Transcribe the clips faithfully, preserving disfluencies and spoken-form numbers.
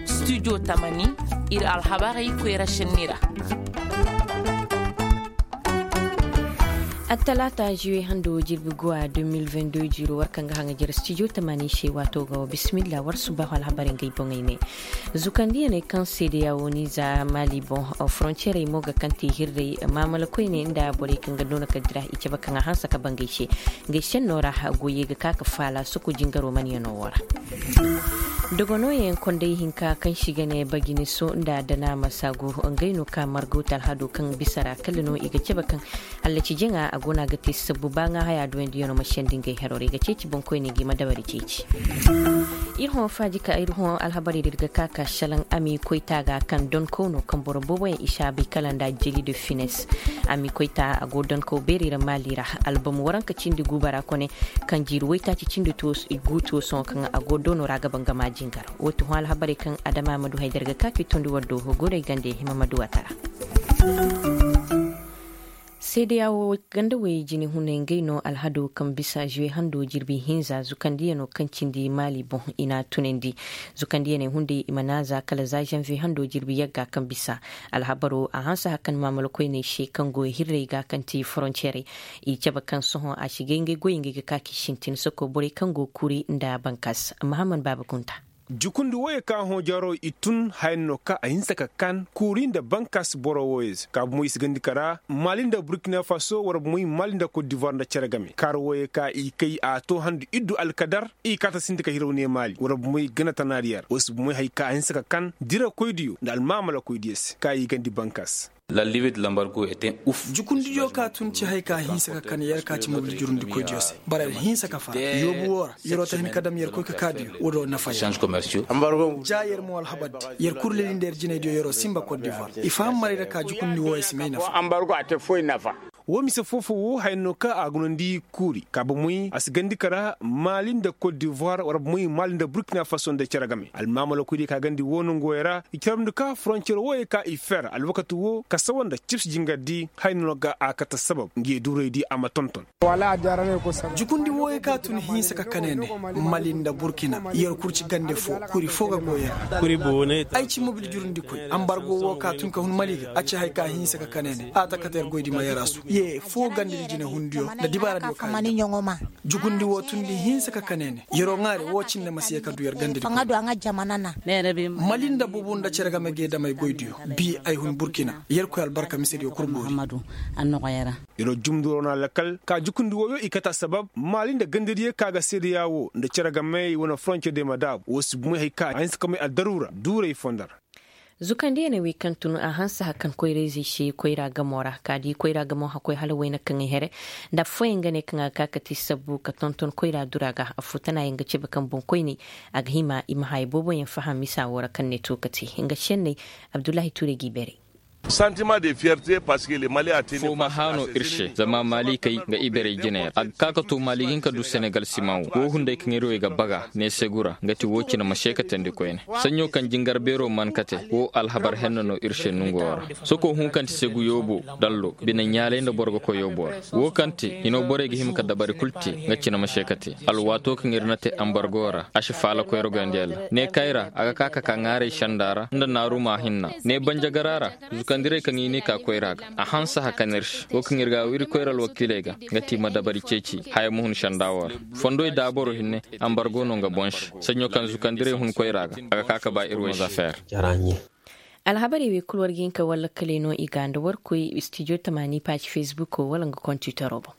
Studio tamani, ir alhabarey koyra šenni ra. Attalaata juwe hando jirbi guwa deux mille vingt-deux jiiro war kaŋ ga haŋa jere studio tamani se waato ga wa bisimilla war subahu alhabarey ngey boŋey ne. Zukandiyaney kaŋ seedeya wo ni za maali boŋ, forontiyerey mo ga kaŋ te hirrey maamala koyney nda borey kaŋ ga noona ka dira i cabe kaŋ a hanse ka bangey se. Ngey senno ra goyey ga ka ka faala soko jingaro manyanoo wo ra. Dogonooyaŋ konday hinka kaŋ se i ga ne baginiso nda danaama saagu, ngey no ka margo talhado kaŋ bisa ra kala no i ga cabe kaŋ allaci jaŋa a go no a ga te sabbu ba ŋaa haya duwandiyano ma sendi ngey heroo ra i ga ceeci boŋkoyney ga i ma dabari ceeci. Ir hõ faaji ka ir hõ alhabarey da ir ga ka ka šalaŋ ami koyta ga kaŋ donkow no kaŋ boro booboyaŋ i si a bay kala nda jeli de fines. Ami koyta a go donkow beerey ra maali ra. Album waranka cindi guuba ra kone kaŋ jiiri waytaaci cindi guutuwo sohõ kaŋ a go doono ra a ga bangama jingar. Woo ti hõ alhabarey kaŋ adama ma du hay da ir ga ka ka i tondi war do goray gande hima ma du a tara. Seedeya wo ganda way jine hunay ngey no alhado kaŋ bisa juwe hando jirbi hinza zukandiyanoo kaŋ cindi maali boŋ i n'a tunandi. Zukandiyaney hunday i ma naaza kala za zanviye hando jirbi yagga kaŋ bisa. Alhabaroo a hanse hakan maamala koyney se kaŋ go hirrey ga kaŋ ti forontiyerey. I cabe kaŋ sohõ a si gay ngey goyey ngey ga ka k'i sintin soko borey kaŋ go kuuri nda bankas mahamman baaba gunta. Jukundi wooyey ka hõ jaro i tun haya no ka a hinse ka kan kuuri nda bankas boro wooyey se ka bomo i si gandi kara maali nda burkina faso war bomoy maali nda kot divoir nda cere game kaara wooyey ka i kay a to handu iddu alkadar. I kaata sinti ka hiraw ne maali war bomoy gana tanaariyar woo si bomoy hay ka a hinse ka kan dirakoydiyo nda almaamalakoydiyo se ka i gandi bankas. Jukundiyo ka tun ci hay ka hinsa ka kan yer ka ci mobil jurundikoydiyo se bara yer hinsa ka fara yoobu woo ra yeroo ta hin ka dam yer koy ka kaa diyo woo do nafa yer. Ja yer mo alhabardi yer kul leli nda yer jinaydiyo yeroo sinba kot divoir i faham maray ra ka jukundi wooyo si may nafa. Woo mise foo-foo woo haya no ka a gunandi kuuri ka bomoy a si gandi kara maali nda kot divoir war bomoy maali nda burkina faso nda cere game almaamalakoydiyo ka gandi woo nongooyo ra i carabndi ka forontiyer wooyo ka i fer alwakati woo ka sawa nda cibsi jingardi haya no ga a kate sabab ngi ye duuraydi a ma tonton. Jukundi wooyo ka tun hinsa ka kane ne mali nda burkina yer kul ci gande foo kuri foo ga goy yer. Ay ci mobil jurundikoy ambargo woo ka tun ka hun mali ga a ci hay ka hinsa ka kane ne a ta kate yer goydi ma yer a su ye foo gandedi jinehundiyo nda dibaaradiyo ka yer ga. Jukundi woo tundi hinsa ka kane ne yeroo ŋaari woo cindi ma si ye ka du yer gandedi. Mali nda bubu nda cere game ga ye dam ay goydiyo bi ay hun burkina yerkoy albarka misediyo kul boori. Yer wa jumndi war wane alakal ka jukundi wooyo i kate asabab maali nda gandadiyo ka ga seedeya woo nda cere game i wane foronciyerdiyo ma daabu woo si bomoy hay ka a hinsa ka may addaruura duuray fondo ra. Zukandiyaney wey kaŋ tun a hanse hakan koyra-izey se koyra gamo ra ka di koyra gamo hakkoy hala wayna kaŋ ay here nda affooyaŋ ga ne kaŋ a ga ka ka te sabbu ka tonton koyra dura ga affoo tana yaŋ ga cabe kaŋ boŋkoyney a ga hima i ma haya booboyaŋ faham misa woo ra kaŋ ne to ka te nga senney. Abdullahi tuure g'i beeray. Foo ma haanu ir se zama maalikey nga iberey jiney ra a ga ka ka to maali ga hin ka du senegal simaŋ wo woo hunday kaŋ ir wey ga baga ne segu ra nga ti woo cine ma seekatandi koyne. Saɲɲo kaŋ jingar beeroo man kate woo alhabar henna no ir se nongoo ra. Soko hun kaŋ ti segu yoobo dallo bine ɲaalay nda boro ga koy yooboo ra. Woo kaŋ ti hinoo borey ga hima ka dabari kul te nga cine ma seekate alwaatoo kaŋ ir na te ambargoo ra a si faala koyra goyandiyalla ne kayra a ga ka ka ka ŋaaray senda ra nda naarumaa hinna ne banjagaraa ra. Zukandirey kaŋ i n'i ka koyra ga a hanse hakan ir se woo kaŋ ir ga a wiri koyra alwakiiley ga nga ti i ma dabari ceeci haya ma hun senda woo ra. Fondoy daabaro hinne ambargo no nga boŋ se saɲɲo kaŋ zukandirey hun koyra ga a ga ka ka ba ir woy se. Alhabarey wey kul war ga hin ka war lakkaley no i ga nda war koy studio tamaani paaci fesbuko wala nga kontitoro boŋ.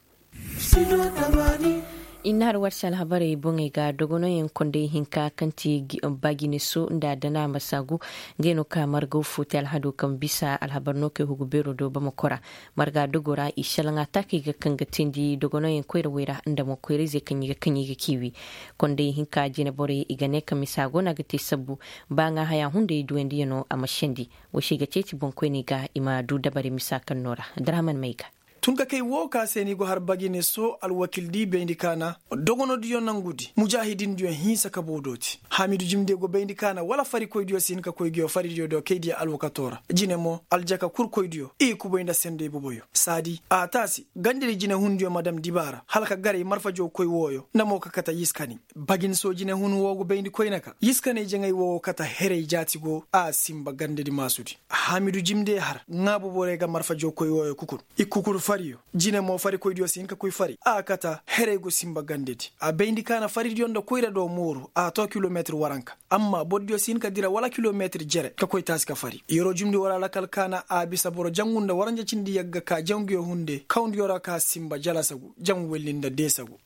I na har war se alhabarey boŋey ga dogonoyaŋ konday hinka kaŋ ti baagineso nda danaama saagu. Ngey no ka margaw fo te alhado kaŋ bisa alhabar no kay hugu beero do bamakora marga dogo ra i salaŋ ataakey ga kaŋ ga teendi dogonoyaŋ koyrawey ra nda mo koyra-izey kaŋ i ga kaŋ i ga kiiwi. Konday hinka jine borey i ga ne ka misa go no a ga te sabbu ba ŋaa haya hunday duwandiyano a ma sendi. Wo se i ga ceeci boŋkoyney ga i ma du dabari misa kaŋ no ra. Darahaman may ga. Tun ka kay woo ka se ni go har bagine soo alwakildi bayndi ka na dogonodiyo nangudi mujaahidindiyo hinsa ka boo dooti. Haamidu jimde go bayndi ka na wala farikoydiyo si hin ka koy nguyo faridiyo do kaydiya alwakatoo ra. Jine mo aljaka kurkoydiyo i kubay nda sendey boboyo saadi a taasi gandedi jinehundiyo ma dam dibaara hala ka garay marfajow koy wooyo nda mo ka kate yiskani. Bagin soo jinehun woo go bayndi koyne ka yiskaney jaŋay woo go kate heray jaati go a sinba gandedi maasudi. Haamidu jimde har ŋaabu borey ga marfajow koy wooyo kukun i kukun fariyo. Jine mo farikoydiyo si hin ka koy fari a kate heray go sinba gandedi. A bayndi ka na faridiyo nda koyra do mooru a too kilometir waranka. Amma bordiyo si hin ka dira wala kilometir jere ka koy taasi ka fari yeroo jumndi woo ra lakal ka na a bisa boro jangu nda waranja cindi yagga ka janguyo hunde kawndiyo ra ka sinba jalasa gu jangu welli nda deesa gu.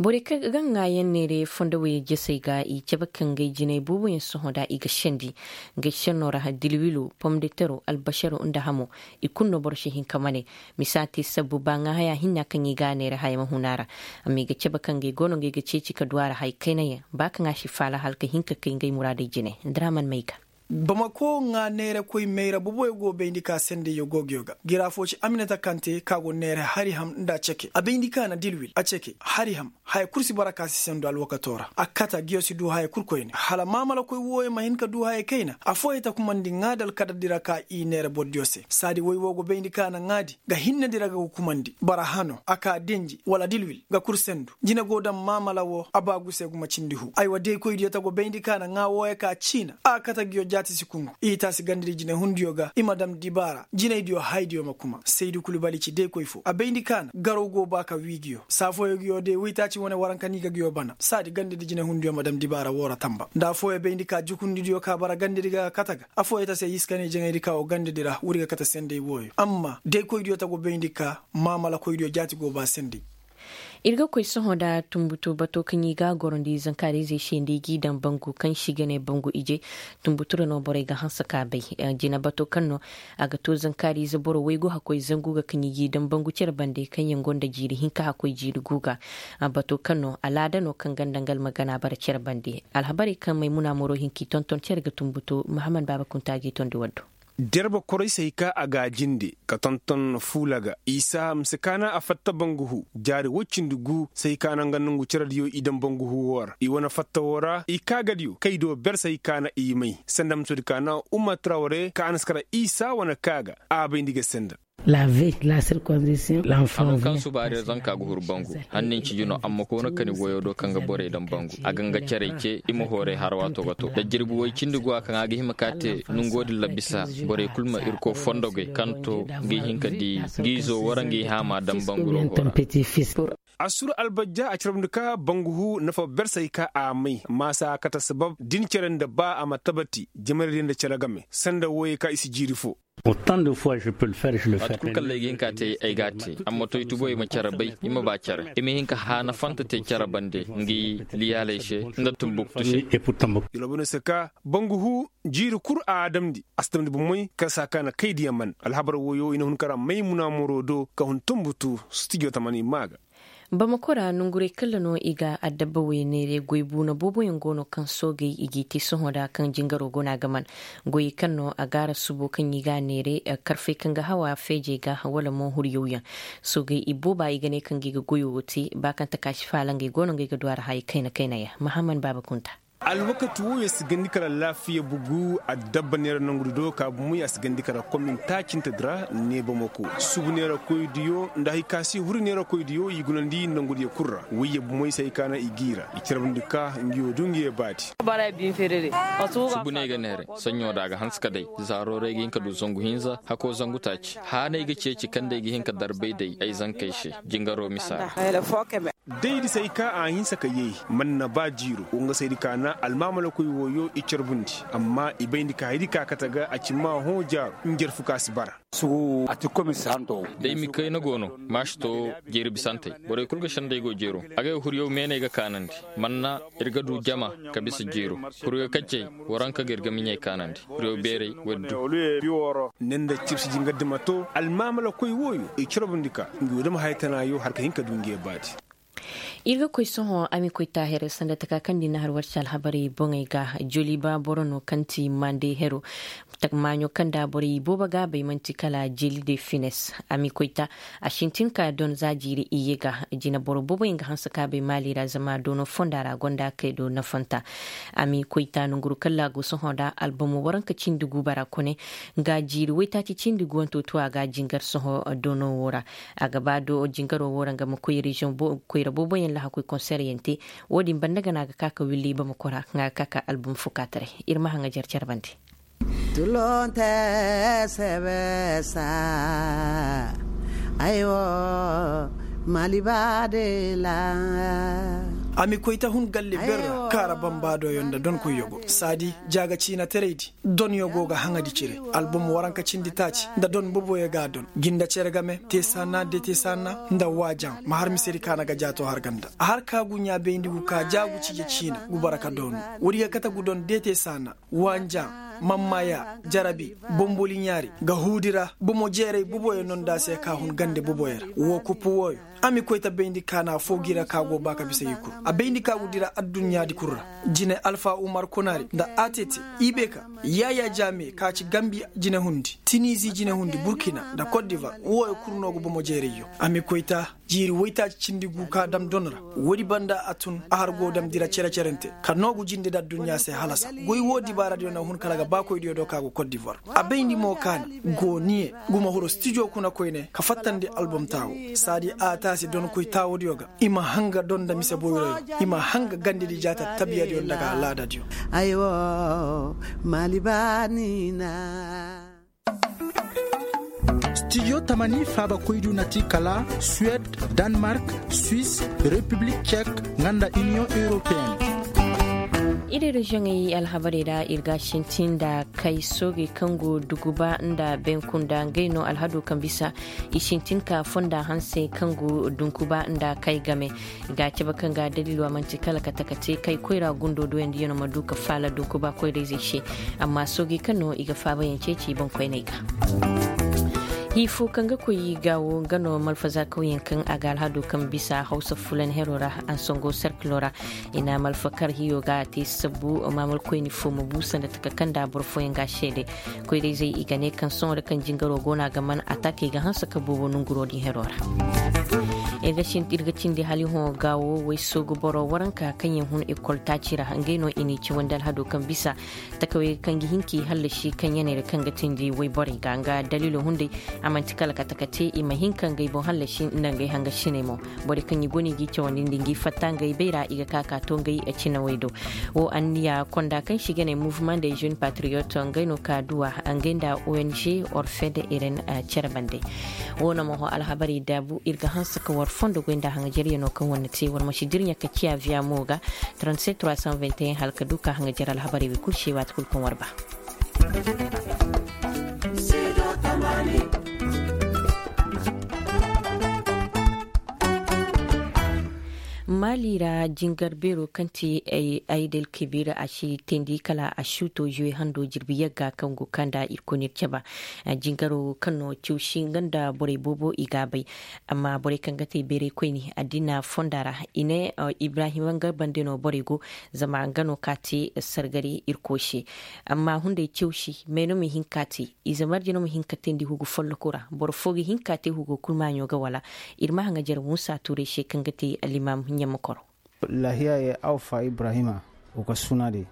Borey kaŋ ga ŋaayaŋ neere fondowey jesey ga i cabe ka ngay jinay booboyaŋ sohõ da i ga sendi. Ngay sennoo ra dilwilo pomdetero albasaro nda hamo i kulu no boro si hin ka mane. Misa te sabbu ba ŋaa haya hinna kaŋ i ga a neere haya ma hun a ra. Amma i ga cabe ka ngay go no ngay ga ceeci ka du a ra haya kaynayaŋ ba kaŋ a si faala hala ka hin ka kay ngay muraadey jine. Draman may ga. Bamako ŋaa neerakoy mayra boboyo go bayndi ka sendey yogoogiyo ga gira foo ci aminata kante ka go neera hari ham nda a ceke a bayndi ka na dilwil a ceke hari ham haya kul si bara ka si sendu alwakatoo ra a kate ngiyo si du haya kul koyne hala maamalakoy wooyo ma hin ka du haya kayna. Affooyey ta kumandi ŋaadi alkadar di ra ka i neera bordiyo se saadi woy woo go bayndi ka na ŋaadi ga hinnedi ra ga ga kumandi bara hano a ka denji wala dilwil ga kul sendu. Jine go daŋ maamala woo a baagu se gumo cindi huu aywa daykoydiyo ta go bayndi ka na ŋaa wooyo ka ciina a kate ngiyo jaati si kungu i taasi gandedi jinehundiyo ga i ma daŋ dibaara jinaydiyo haydiyo ma kuma saydu kulu bali ci daykoy foo a bayndi ka na garaw go ba ka wii ngiyo saa fooyo ngiyo day woytaaci wane waranka no i ga ngiyo bana saadi gandedi jinehundiyo ma daŋ dibaara woo ra tanba nda affooyo bayndi ka jukundidiyo ka bara gandedi ga kate ga affooyo ta se yiskaney jaŋaydi ka wo gandedi ra wuri ga kate sendey wooyo amma daykoydiyo ta go bayndi ka maamalakoydiyo jaati go ba sendey. Ir ga koy sohõ nda tunbutu bato kaŋ i ga a gorondi zankaariizey se nda i g'i daŋ bangu kaŋ si ga ne bangu ije. Tunbutu ra no borey ga hanse ka bay jina bato kaŋ no a ga to zankaariize boro waygu hakkoy zangu ga kaŋ i g'i daŋ bangu cere bande kaŋ yaŋ gonda jiiri hinka hakkoy jiiri gu ga. Bato kaŋ no alaada no kaŋ ganda nga almagana bara cere bande. Alhabarey kaŋ maymuna moro hin k'i tonton cere ga tunbutu mahaman baaba kunta g'i tondi waddo. Derba koray se hay ka a ga a jinde ka tonton fuula ga isa ma si kaana a fatta bangu huu jaari woy cindi gu se hay ka na nga nongu cerediyo i daŋ bangu huu woo ra i wane fatta woo ra i kaagadiyo kay do ber se hay ka na i may sanda ma si woodi ka na umma traware ka a na si kara isa wane kaaga a bay nda i ga senda. Hano kaŋ subaari ra zanka ga huru bangu hannin ciji no amma koona kani goyo do kaŋ ga borey daŋ bangu a ga nga carey ce i ma hooray har waato ga to da jirbi way cindi go a kaŋ a ga hima ka te nongo din ra bisa borey kulu ma irkoy fondogey kaŋ to ngi hin ka di ngi izo wara ngi haama daŋ bangu ro go ra. Assur albajja a carabndi ka bangu hu nafa bersey ka a may maasa kate sabab din cere nda ba a ma tabati jamarey din nda cere game sanda wooyey ka i si jiiri fo. Waati kulu kaŋ ra ay ga hin ka te ay ga a te amma to i tubo i ma care bay i ma ba care i ma hin ka haana fanta te care bande ngi liyaaley se nda tumbuktu se. Yalwa bano se ka bangu hu jiiri kul a damndi a si damndi bomey kala saa ka na kay diya man alhabar wooyo i na hun kara may munaamoro do ka hun tumbutu studio tamani maa ga. Bamako ra nongurey kalla no i ga addabba wey neere goy buuna booboyaŋ go no kaŋ soogey i g'i te sohõ nda kaŋ jingaro go no a ga man goyey kaŋ no a gaara subo kaŋ i ga a neere karfey kaŋ ga hawa feejey ga wala mo huryawyaŋ. Soogey i booba i ga ne kaŋ ga i ga goyo wo te ba kaŋ takaasi faala ngey go no ngey ga du a ra haya kayna kayna yaŋ mahaman baaba kunta. Alwakati wooyo si gandi kala laafiya bugu addabba neera nongudi do ka bumo ya si gandi kala komin taacintedi ra ne bamako subu neerakoydiyo nda hari ka si huri neerakoydiyo i gunandi nongudiyo kul ra wayye bumoy se hari ka na i giira i carabndi ka ngiyo du ngiyo baadi. Subu ne ga neere saɲɲo da a ga hanse ka day zaaro ra ay ga hin ka du zangu hinza hako zangu taaci haanay ga ceeci kaŋ day ga hin ka darbay day ay zankey se jingaro misa ra. Day di se hari ka a hinse ka yee man na ba jiiro wo nga se hari ka na almaamalakoy wooyo i carbundi amma i bayndi ka hari ka kate ga a ci maa hõ jaaro njarfu ka si bara. Day mi kayna go no maasi to jeeri bisantey borey kul ga sendey go jeero agay huryaw meeney ga kaanandi man na ir ga du jama ka bisa jeero huryaw kaccey waranka ga ir ga miɲey kaanandi huryaw beerey waddu. Ne nda cibsi jingardi ma to almaamalakoy wooyo i carbundi ka ngi wo dama haya tanaayo har ka hin ka du ngi ye baadi. Ir ga koy sohõ a ma koy taahiray sanda taka kaŋ di na har war se alhabarey boŋey ga. Joliba boro no kaŋ ti mande hero. Maaɲo kaŋ nda borey boobo ga a bay man'ti kala jeli de fines. A ma koy ta a sintin ka don za jiiri iyye ga. Jineboro boobo yaŋ ga hanse ka a bay maali ra zama doono fonda ra gonda kay do nafanta. A ma koy ta nonguru kalla go sohõ nda albomo waranka cindi guuba ra kone, nga jiiri waytaaci cindi guwanto tu a ga jingar sohõ doono wo ra. A ga ba do jingaro wo ra nga ma koy reziyoŋ koyra boobo yaŋ lahakoy konseryaŋ te. Wo-din banda gana ga ka ka willi bamako ra nga ga ka ka album fo ka taray. Ir ma haŋajer care bande. Tulonte sebe sa ay wo mali baade la. A ma koy ta hun galle ber ra kaara bambaado yaŋ nda donkoy yogo saadi jaaga ciina teraydi. Don yo go ga haŋadi cire album waranka cindi taaci nda don boboyo ga a don. Jinda cere game te saana de te saana nda waajaŋ ma har misedi kaana ga jaato har ganda a har ka gu ɲaa bayndi gu ka jaagu cije ciina gu bara ka doonu. Woodi ga kate gu don de te saana waajaŋ, mammaya, jarabi, bomboli ɲaari ga huudi ra bomo jeeray boboyo nonda se ka hun gande boboyo ra woo kuppu wooyo. A ma koy ta bayndi kaana foo gi ra ka go ba ka bisa i kul a bayndi ka gu dira adduɲɲaadi kul ra. Jine alfa umar konaari nda a te te, i be ka yaayaa jaame ka ci gambi jinehundi tinizi jinehundi burkina nda kot divar wooyo kul no ga bomo jeerayyo. A ma koy ta jiiri waytaaci cindi gu ka dam don ra. Woodi banda a tun a har go dam dira cere-cerente ka noogu jinde nda adduɲɲa se halasa. Goy woo dibaaradiyo na hun kala ga baakoydiyo do ka go kot divar. A bayndi mo kaana gooniye guma huru stijo kuna koyne ka fattandi album taawo. Saadi a taasi donkoy taawodiyo ga i ma hanga don nda mise boyroyo i ma hanga gandedi jaata tabiyadiyo nda ga alaadadiyo. Ay wo maali baani na. Stijo tamani faabakoydiyo na ti kala suwed, danmark, suis, repiblik cek, nga nda iniyoŋ europeen. Iri reziyoŋey alhabarey ra ir ga a sintin nda kay soogey kaŋ go duguba nda benkunda ngey no alhado kaŋ bisa i sintin ka fonda hanse kaŋ go dunkuba nda kay game. Ga a cabe kaŋ ga daliilo a man'ti kala kate kate kay koyra gundo doyandiyano ma du ka faala dunkuba koyrayzey se. Amma soogey kaŋ no i ga faabayaŋ ceeci boŋkoyney ga. Hii fo kaŋ ga koy gaawo nga no malfazakawyaŋ kaŋ a ga alhado kaŋ bisa hawsa fulan hero ra, ansango serkilo ra. I na malfa kar hiyo ga a te sabbu maamalkoyni fo ma bu sanda taka kaŋ nda boro fooyaŋ ga a seede. Koyrayzey i ga ne kaŋ sohõ da kaŋ jingaro go no a ga man atakey ga hanse ka boobo nonguro din hero ra. Ir ga cindi hali hõ gaawo way soogu boro waranka kaŋ yaŋ hun ekol taaci ra ngey no i n'i cawandi alhado kaŋ bisa takawey kaŋ ga hin k'i hallasi kaŋ yaney ra kaŋ ga tindi wayborey ga nga daliilo hunday. A man'ti kala kate ka te i ma hin ka ngey boŋ hallasi nda ngey hanga siney mo. Borey kaŋ i go no i g'i cawandi nda ngey fatta ngey bayra i ga ka ka to ngey cinawey do. Wo anniya konda kaŋ se i ga ne mouvement des jeunes patriotes ngey no ka duwa ngey nda ong orfed eren care bande. Wo no ma hõ alhabarey daabu ir ga hanse ka war fondo goy nda haŋajaryaŋo kaŋ war na te war ma si dirɲa ka ciya viya mo ga. Trente-sept trois cent vingt et un hala ka du ka haŋajar alhabarey wey kul se waati kul kaŋ war ba. Maali ra jingar beero kaŋ ti aydel kebir a si teendi kala a suuto zuwe hando jirbi yagga kaŋ go kaŋ nda ir koy no ir caba. Jingaro kaŋ no cawsi nga nda borey boobo i ga a bay. Amma borey kaŋ ga te beeraykoyni addina fonda ra i ne ibrahima nga bande no borey go. Zama nga no ka te sargari irkoy se. Amma hunday cawsi may no ma hin ka te. Ize marje no ma hin ka teendi hugu folloko ra boro fo ga hin ka te hugo kul maaɲo ga wala. Ir ma haŋajer muusa tuuray se kaŋ ga te alimam ɲammakoro. Lahiya ye awfa ibrahima. Wo ka suna de.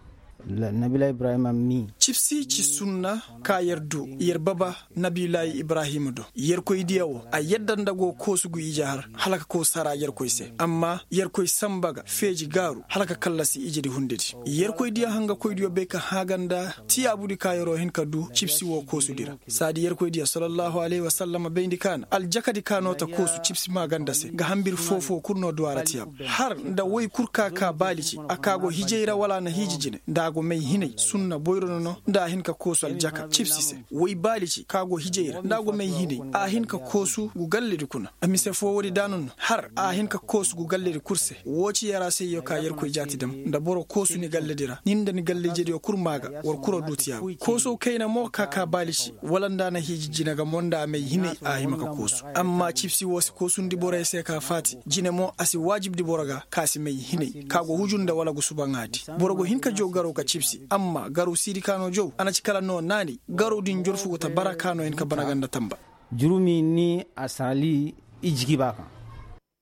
Nabila ibrahima mi. Cibsi ci sunna ka yer du yer baba. Nabila ibrahima do yerkoy diya wo a yadda nda go koosu gu ije har hala ka koo sara yerkoy se amma yerkoy samba ga feeji gaaru hala ka kallasi ije di hunde di. Yerkoy diya hanga koy diyo bay ka haaga nda tiyaabu di ka yeroo hin ka du cibsi wo koosu di ra. Saadi yerkoy diya sallallahu alayhi wa sallam bayndi ka na aljakadi ka no ta koosu cibsi maaganda se ga hambir foofoo kul no duw'a ra tiyaabu har nda woy kul ka ka baali ci a ka go hijay ra wala a na hiiji jine nda. A go may hinay sunna boyro no no nda a hin ka koosu aljaka cibsi se. Woy baali ci ka go hijay ra nda a go may hinay a hin ka koosu gu galledi kuna. A mise foo woodi daanun no har a hin ka koosu gu galledi kul se. Woo ci yaraasayyo ka yerkoy jaati dam nda boro koosu ni galledi ra ni nda ni gallejediyo kul maa ga war kul a duutiyaa. Koosow kayna mo ka ka baali ci wala nda a na hiiji jine ga mo nda a may hinay a hima ka koosu. Amma cibsi woo si koosundi borey se ka faati jine mo a si waajibdi boro ga ka si may hinay ka go huju nda wala go subaŋaadi. Boro go hin ka jow garaw ka cibsi amma garaw siidi ka no jow a na ci kala no naanay garaw din jorfu go ta bara ka no hin ka bana ganda tamba. Jurumi ni a saali i jiki ba kaŋ.